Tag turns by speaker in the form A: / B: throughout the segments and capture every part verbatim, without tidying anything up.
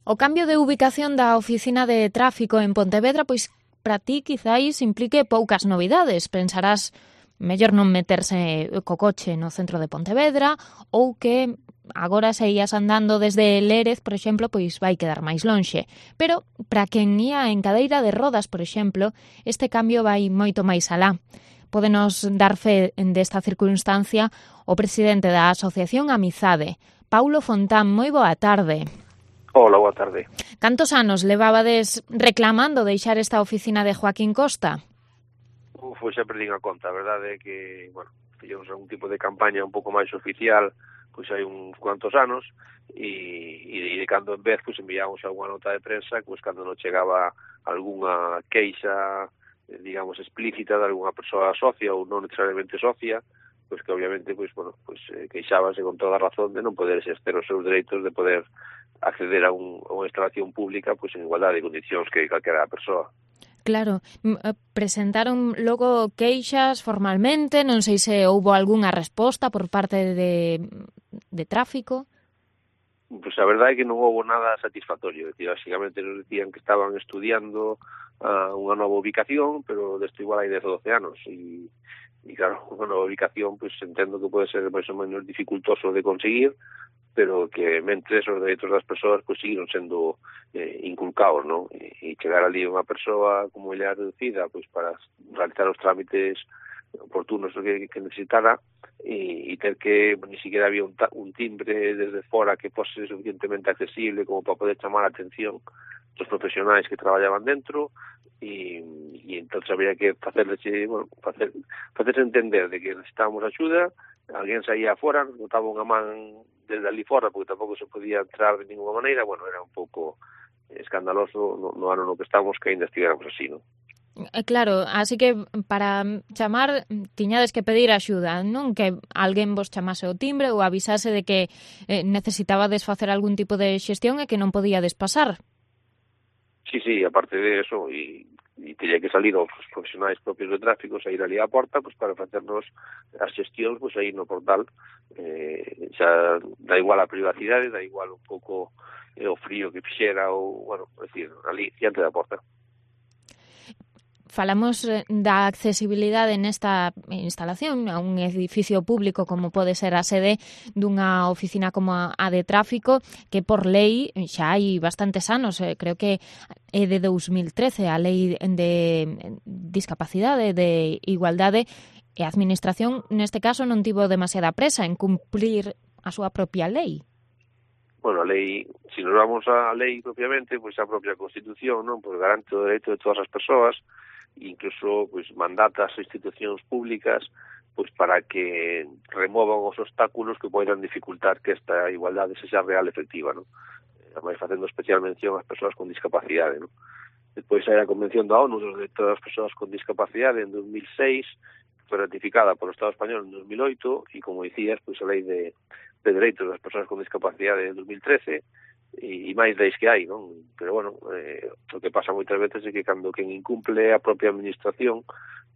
A: O cambio de ubicación da oficina de tráfico en Pontevedra, pois para ti quizáis implique poucas novidades. Pensarás mellor non meterse co coche no centro de Pontevedra ou que agora se ías andando desde Lérez, por exemplo, pois vai quedar máis lonxe. Pero para quen ía en cadeira de rodas, por exemplo, este cambio vai moito máis alá. Pódenos dar fe desta circunstancia o presidente da Asociación Amizade, Paulo Fontán. Moi boa tarde.
B: Hola, boa tarde.
A: Cantos anos levabades reclamando deixar esta oficina de Joaquín Costa?
B: Uf, pois xa perdín a conta. A verdade é que, bueno, fixemos algún tipo de campaña un pouco máis oficial, pois hai uns cuantos anos, e, e de cando en vez, pois enviamos algunha nota de prensa, pois cando non chegaba algunha queixa, digamos, explícita de algunha persoa socia ou non necesariamente socia, pois que obviamente, pois, bueno, pois queixábase con toda a razón de non poder exercer os seus dereitos de poder acceder a, un, a unha instalación pública pois en igualdade de condicións que calquera persoa.
A: Claro, presentaron logo queixas formalmente, non sei se houbo algunha resposta por parte de, de tráfico.
B: Pois a verdade é que non houbo nada satisfactorio, é dicir, basicamente nos decían que estaban estudiando uh, unha nova ubicación, pero desto igual hai dez ou doce anos, e, e claro, unha nova ubicación, pois entendo que pode ser máis ou menos dificultoso de conseguir, pero que mentres os dereitos das persoas pois seguiron sendo eh, inculcados, non? E, e chegar ali unha persoa como ella reducida pois para realizar os trámites oportunos que, que necesitara e, e ter que ni siquiera había un, un timbre desde fora que fose suficientemente accesible como para poder chamar a atención dos profesionais que traballaban dentro e, e entón había que facerles, bueno, facer, facerse entender de que necesitábamos axuda. Alguén saía fora, nos botaba unha man desde ali fora, porque tampouco se podía entrar de ninguna maneira. Bueno, era un pouco escandaloso no, no ano no que estamos que ainda estivéramos así, non?
A: Claro, así que para chamar tiñades que pedir axuda, non? Que alguén vos chamase o timbre ou avisase de que eh, necesitabades facer algún tipo de xestión e que non podíades pasar.
B: Sí, sí, aparte de eso, e e teria que salir os profesionais propios de tráfico, sair ali á porta pois para facernos as xestións pois aí no portal. Eh, xa dá igual a privacidade, dá igual un pouco eh, o frío que fixera ou, bueno, é dicir, ali diante da porta.
A: Falamos da accesibilidade nesta instalación a un edificio público como pode ser a sede dunha oficina como a de tráfico, que por lei xa hai bastantes anos, creo que é de dous mil trece a lei de discapacidade, de igualdade, e a administración neste caso non tivo demasiada presa en cumplir a súa propia lei.
B: Bueno, a lei, se nos vamos á lei propiamente, pois a propia Constitución, non, pois garante o dereito de todas as persoas, incluso pois mandata as institucións públicas pois para que removan os obstáculos que poidan dificultar que esta igualdade sexa real e efectiva, non? Ademais facendo especial mención ás persoas con discapacidade, non? Despois hai a Convención da ONU dos Dereitos das Persoas con Discapacidade en dos mil seis, que foi ratificada polo Estado español en dos mil oito, e como dicías, pois a lei de, de Dereitos das Persoas con Discapacidade en dos mil trece, e máis leis que hai, non? Pero, bueno, eh, o que pasa moitas veces é que cando quen incumple a propia administración,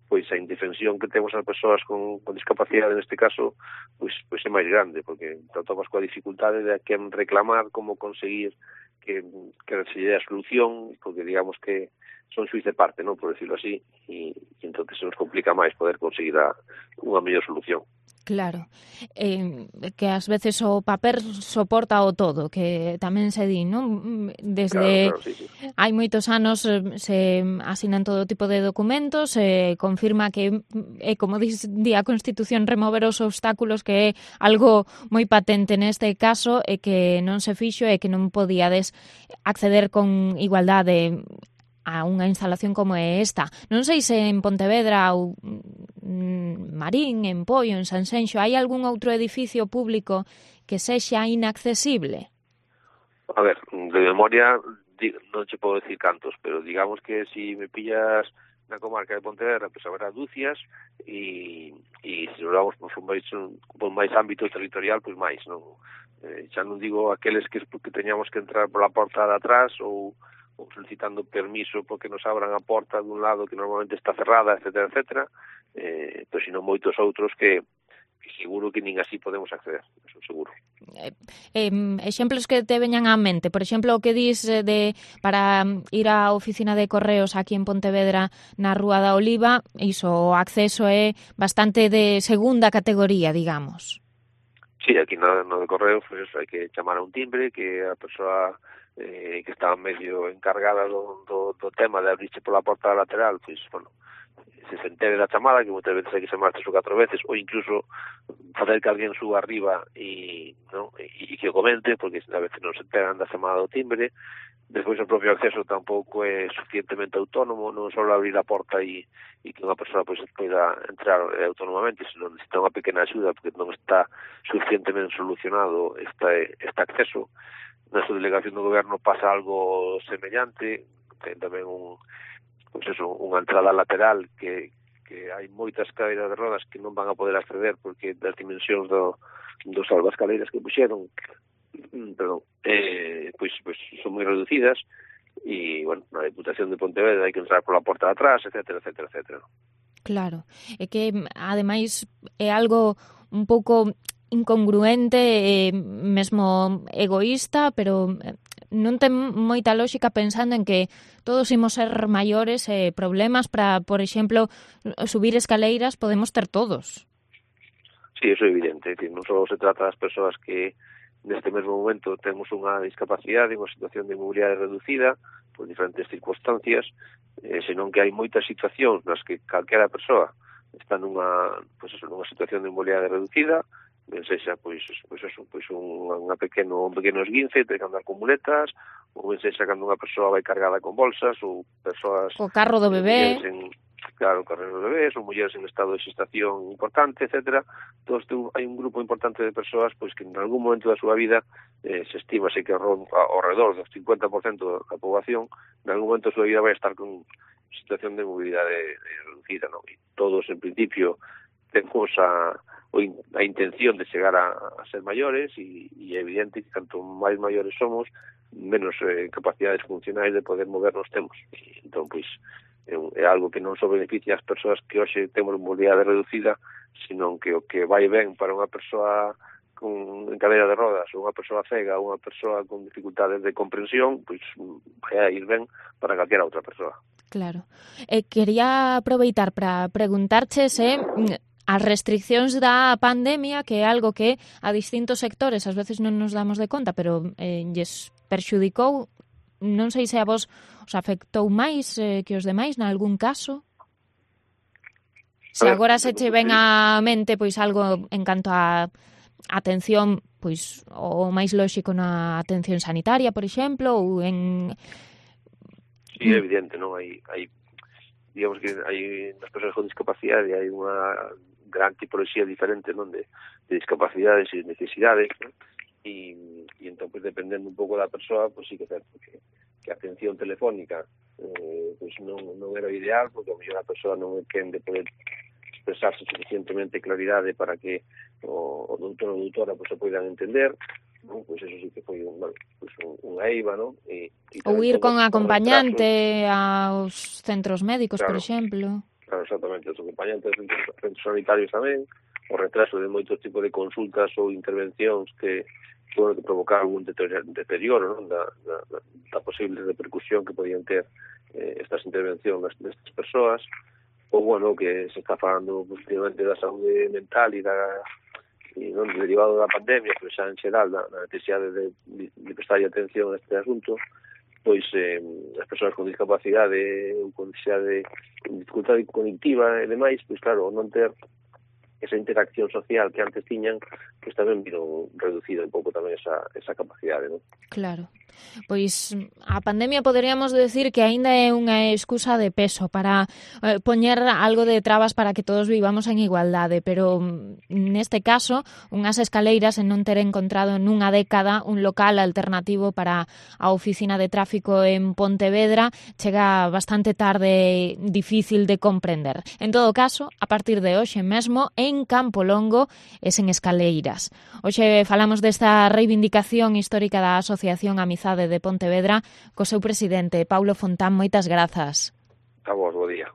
B: pois a indefensión que temos as persoas con, con discapacidade neste caso, pois, pois é máis grande, porque te atopas coa dificultade de a quen reclamar, como conseguir que, que se lle dé a solución, porque digamos que son xuiz de parte, non? Por decirlo así, e, e entón se nos complica máis poder conseguir a, unha mellor solución.
A: Claro, eh, que ás veces o papel soporta o todo, que tamén se di, non? Desde
B: claro, claro, sí, sí.
A: hai moitos anos se asinan todo tipo de documentos, se confirma que é, como di a Constitución, remover os obstáculos, que é algo moi patente neste caso, e que non se fixo e que non podíades acceder con igualdade a unha instalación como é esta. Non sei se en Pontevedra ou Marín, en Poio, en Sanxenxo, hai algún outro edificio público que sexa inaccesible?
B: A ver, de memoria non che podo decir cantos, pero digamos que si me pillas na comarca de Pontevedra, pois haberá dúcias, e, e se nos vamos por máis, por máis ámbito territorial, pois máis, non? Eh, xa non digo aqueles que, que teñamos que entrar pola porta de atrás ou ou solicitando permiso porque nos abran a porta dun lado que normalmente está cerrada, etcétera, etcétera, eh, pero sino moitos outros que, seguro que nin así podemos acceder, eso seguro.
A: Eh, eh, exemplos que te veñan á mente, por exemplo, o que dis de para ir á oficina de correos aquí en Pontevedra na Rúa da Oliva, iso, o acceso é bastante de segunda categoría, digamos.
B: Sí, aquí no, no de correo, pues hai que chamar a un timbre que a persoa eh, que está medio encargada do, do, do tema de abrirse pola porta lateral, pois, pues, bueno, se se entere da chamada, que moitas veces hai que chamar tres ou catro veces, ou incluso fazer que alguén suba arriba e, ¿no? e, e que o comente, porque a veces non se enteran da chamada do timbre. Despois o propio acceso tampouco é suficientemente autónomo, non só abrir a porta e, e que unha persoa pois, poida entrar autónomamente, senón necesita unha pequena axuda porque non está suficientemente solucionado este, este acceso. Na súa delegación do goberno pasa algo semellante, ten tamén un, pois eso, unha entrada lateral que, que hai moitas cadeiras de rodas que non van a poder acceder porque das dimensións do, dos salvascaleiras que puxeron, perdón, eh, pois, pois son moi reducidas e, bueno, na Deputación de Pontevedra hai que entrar pola porta de atrás, etcétera, etcétera, etcétera.
A: Claro, é que, ademais, é algo un pouco incongruente e mesmo egoísta, pero non ten moita lógica pensando en que todos imos ser maiores e problemas para, por exemplo, subir escaleiras podemos ter todos.
B: Sí, eso é evidente, que non só se trata das persoas que neste mesmo momento temos unha discapacidade, unha situación de mobilidade reducida por diferentes circunstancias, eh, senón que hai moitas situacións nas que calquera persoa está nunha, pois eso, nunha situación de mobilidade reducida, ben sexa pois, pois eso, pois un, unha pequeno, un pequeno esguince, ten que andar con muletas, ou ben sexa cando unha persoa vai cargada con bolsas, ou persoas...
A: O carro do bebé...
B: En, claro, carros de bebés, ou mulleres en estado de xestación importante, etcétera. Entón, hai un grupo importante de persoas pois que en algún momento da súa vida eh, se estima que ao redor do cincuenta por cento da poboación en algún momento da súa vida vai estar con situación de mobilidade reducida, non? E todos, en principio, temos a, a intención de chegar a, a ser maiores e, e é evidente que canto máis maiores somos, menos eh, capacidades funcionais de poder movernos temos. E, entón, pois, é algo que non só beneficia as persoas que hoxe temos mobilidade reducida, senón que o que vai ben para unha persoa con, en cadeira de rodas, ou unha persoa cega, ou unha persoa con dificultades de comprensión, pois vai a ir ben para calquera outra persoa.
A: Claro. Eh, quería aproveitar para preguntarche se as restriccións da pandemia, que é algo que a distintos sectores ás veces non nos damos de conta, pero eh, lles perxudicou, non sei se a vos os afectou máis eh, que os demais, nalgún caso? Se agora se che ven á mente pois algo en canto a atención, pois o máis lóxico na atención sanitaria, por exemplo, ou en...
B: Sí, é evidente, non? Hai, hai digamos que hai nas persoas con discapacidade hai unha gran tipoloxía diferente, non, de, de discapacidades e necesidades, non? E, e entón, pues, dependendo un pouco da persoa, pois pues, sí que é certo que, que a atención telefónica eh, pues non, non era o ideal, porque a mellor a persoa non ten de poder expresarse suficientemente claridade para que o, o doutor ou doutora pues, se poidan entender, non? Pois pues eso sí que foi un, bueno, pues un, unha eiva, non? E, e
A: ou ir con acompañante aos centros médicos, claro, por exemplo.
B: Claro, exactamente, os acompañantes dos centros sanitarios tamén, o retraso de moitos tipos de consultas ou intervencións que bueno, que provocar algún deterioro, non? Da, da, da posible repercusión que podían ter eh, estas intervencións destas persoas, ou, bueno, que se está falando positivamente da saúde mental e da e non derivado da pandemia, pero xa en xeral da, da necesidade de, de, de prestar atención a este asunto, pois eh, as persoas con discapacidade ou con necesidade, con dificultade cognitiva e demais, pois claro, non ter esa interacción social que antes tiñan, pois tamén viron reducida un pouco tamén esa, esa capacidade, non?
A: Claro. Pois a pandemia poderíamos decir que aínda é unha excusa de peso para eh, poñer algo de trabas para que todos vivamos en igualdade, pero neste caso, unhas escaleiras en non ter encontrado nunha década un local alternativo para a oficina de tráfico en Pontevedra chega bastante tarde, difícil de comprender. En todo caso, a partir de hoxe mesmo, en Campo Longo e sen escaleiras. Hoxe falamos desta reivindicación histórica da Asociación Amizade de Pontevedra co seu presidente, Paulo Fontán. Moitas grazas.
B: A vos, bo día.